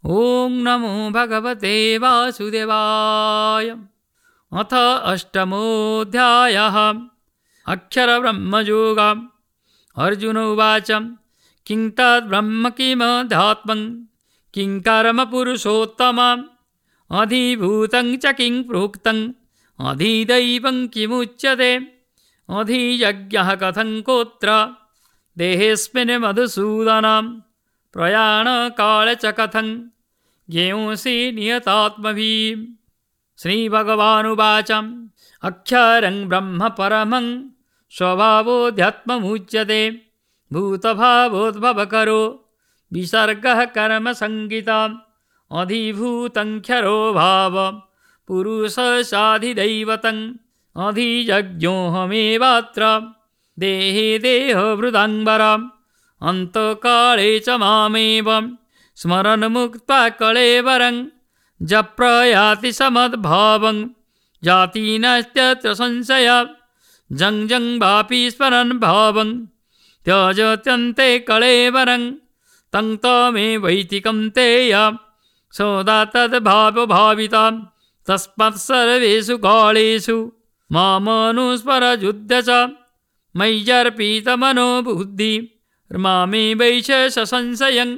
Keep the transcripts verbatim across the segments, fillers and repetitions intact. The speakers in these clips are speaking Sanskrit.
ॐ नमो भगवते वासुदेवाय। अथ अष्टमोऽध्यायः। अक्षरब्रह्मयोगः। अर्जुन उवाच किं तद्ब्रह्म किमध्यात्मं किं कर्म पुरुषोत्तमम् अधिभूतं च किं प्रोक्तम् अधिदैवं किमुच्यते अधियज्ञः कथं कोत्र देहेऽस्मिन् मधुसूदन प्रयाणकाले च कथं ज्ञेयोऽसि नियतात्मभिः। श्रीभगवानुवाच अक्षरं ब्रह्म परमं स्वभावोऽध्यात्ममुच्यते भूतभावोद्भवकरो विसर्गः कर्मसङ्गितम् अधिभूतङ्क्षरो भाव पुरुषस्याधिदैवतम् अधियज्ञोऽहमेवात्र देहे देहभृदाम्बरम् अन्तकाले च मामेव स्मरन् मुक्त्वा कळेवरं जप्रयाति समद्भावं जाति नास्त्यत्र संशयः जं जं वापि स्मरन् भावं त्यजत्यन्ते कळेवरं तं तमेवैति कौन्तेय सदा तद्भावभावितं तस्मात् सर्वेषु कालेषु मामनुस्मरयुध्य च मय्यर्पितमनो बुद्धिः मामेवैष संशयम्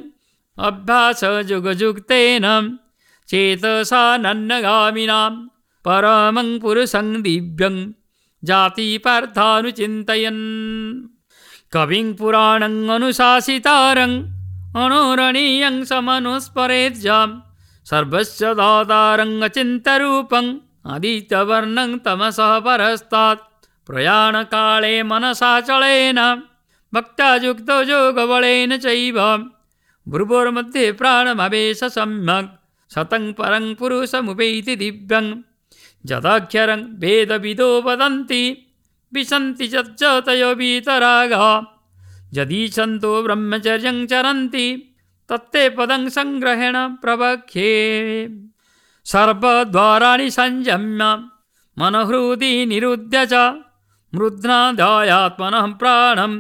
अभ्यासयुगयुक्तेन चेतसा नन्नगामिनां परमं पुरुषं दिव्यं जातिपार्थानुचिन्तयन् कविं पुराणम् अनुशासितारम् अणोरणीयं समनुस्मरेज्जां सर्वस्य दातारम् अचिन्त्यरूपम् आदित्यवर्णं तमसः परस्तात् प्रयाणकाले मनसाचलेन भक्त्या युक्तो योगबलेन चैव भ्रुवोर्मध्ये प्राणमवेश सम्यक् सतं परं पुरुषमुपैति दिव्यं यदक्षरं वेदविदो वदन्ति विशन्ति यच्चतयो वीतरागः यदीच्छन्तो ब्रह्मचर्यं चरन्ति तत्ते पदं संग्रहेण प्रवक्ष्ये। सर्वद्वाराणि संयम्य मनोहृदि निरुध्य च मृध्नादायात्मनः प्राणम्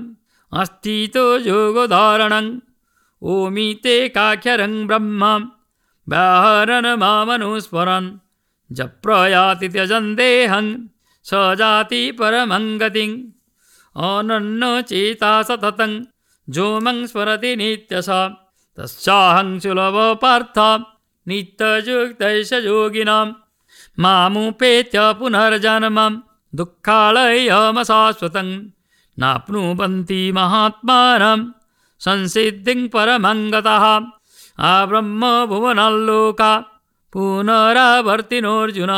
अस्थितो योगधारणम् ओमितेकाक्षरं ब्रह्म व्याहरणमामनुस्मरन् जप्रयाति त्यजन् देहं स जाति परमं गतिम् अनन्यचेता सततं जोमं स्मरति नित्यशः तस्याहं सुलभो पार्थ नित्ययुक्तैष योगिनां मामुपेत्य पुनर्जन्मं दुःखालयमशाश्वतं नाप्नुवन्ति महात्मानं संसिद्धिं परमं गतः आब्रह्म भुवनाल्लोका पुनरावर्तिनोऽर्जुन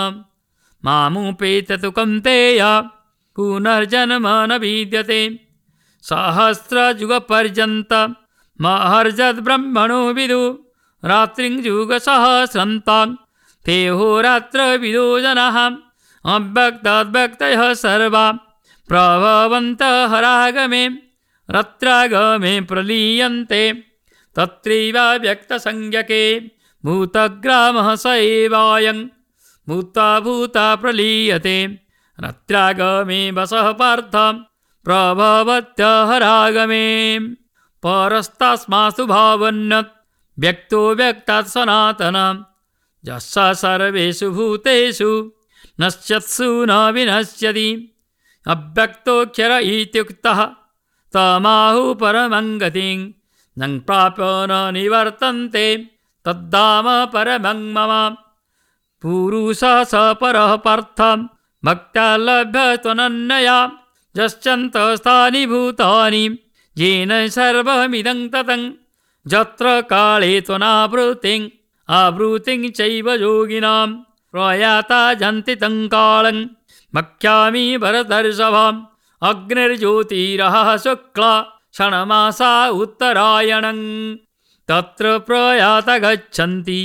मामुपेत्य तु कौन्तेय पुनर्जन्म न विद्यते सहस्रयुगपर्यन्तं महर्षद्ब्रह्मणो विदु रात्रिं युगसहस्रन्तां ते होरात्रविदो जनाः अव्यक्ताद्व्यक्तयः सर्वा प्रभवन्तः हरागमे रत्रागमे प्रलीयन्ते तत्रैव व्यक्तसंज्ञके भूतग्रामः स एवायं भूता भूता प्रलीयते रत्रागमे वसः पार्थ प्रभवत्यहरागमे परस्तास्मासु भावन्यत् व्यक्तो व्यक्तात् सनातनं यस्य सर्वेषु भूतेषु नश्यत्सु न विनश्यति अव्यक्तोऽक्षर इत्युक्तः तमाहु परमं गतिं न प्राप्य न निवर्तन्ते तद्धाम परमं मम पुरुषः स परः पार्थ भक्त्या लभ्यत्वनन्यया यश्चन्तस्थानि भूतानि येन सर्वमिदं ततं यत्र काले त्वनावृत्तिं आवृत्तिं चैव योगिनां प्रयाता जन्ति तं कालं भक्ष्यामि भरतर्षभम् अग्निर्ज्योतिरः शुक्ला षण्मासा उत्तरायणं तत्र प्रयाता गच्छन्ति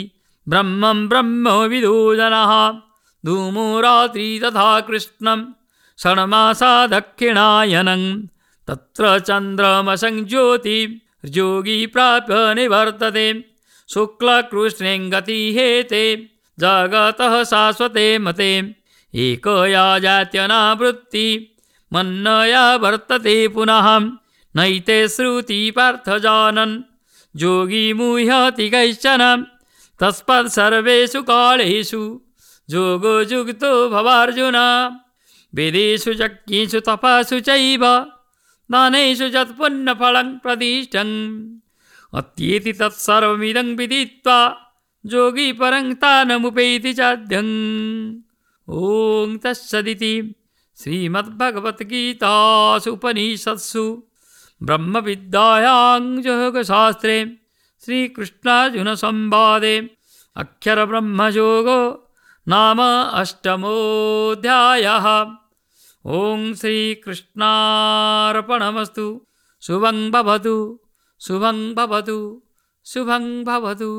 ब्रह्मं ब्रह्मविदो जनाः धूमो रात्रि तथा कृष्णं षण्मासा दक्षिणायनं तत्र चन्द्रमसं ज्योति योगी प्राप्य निवर्तते शुक्लकृष्णे गतिहेते जगतः शाश्वते मते एकया जात्यनावृत्ति मन्नया वर्तते पुनः नैते श्रुति पार्थ जानन् योगी मुह्यति कैश्चन तस्मात् सर्वेषु कालेषु योगो युक्तो भवार्जुन वेदेषु यज्ञेषु तपस्सु चैव दानेषु यत् पुण्यफलं प्रदिष्टम् अत्येति तत्सर्वमिदं विदित्वा योगी परं स्थानमुपैति चाद्यम्। ॐ तत्सदिति श्रीमद्भगवद्गीतासु उपनिषत्सु ब्रह्मविद्यायां योगशास्त्रे श्रीकृष्णार्जुनसंवादे अक्षरब्रह्मयोगो नाम अष्टमोऽध्यायः। ॐ श्रीकृष्णार्पणमस्तु। शुभं भवतु शुभं भवतु शुभं भवतु।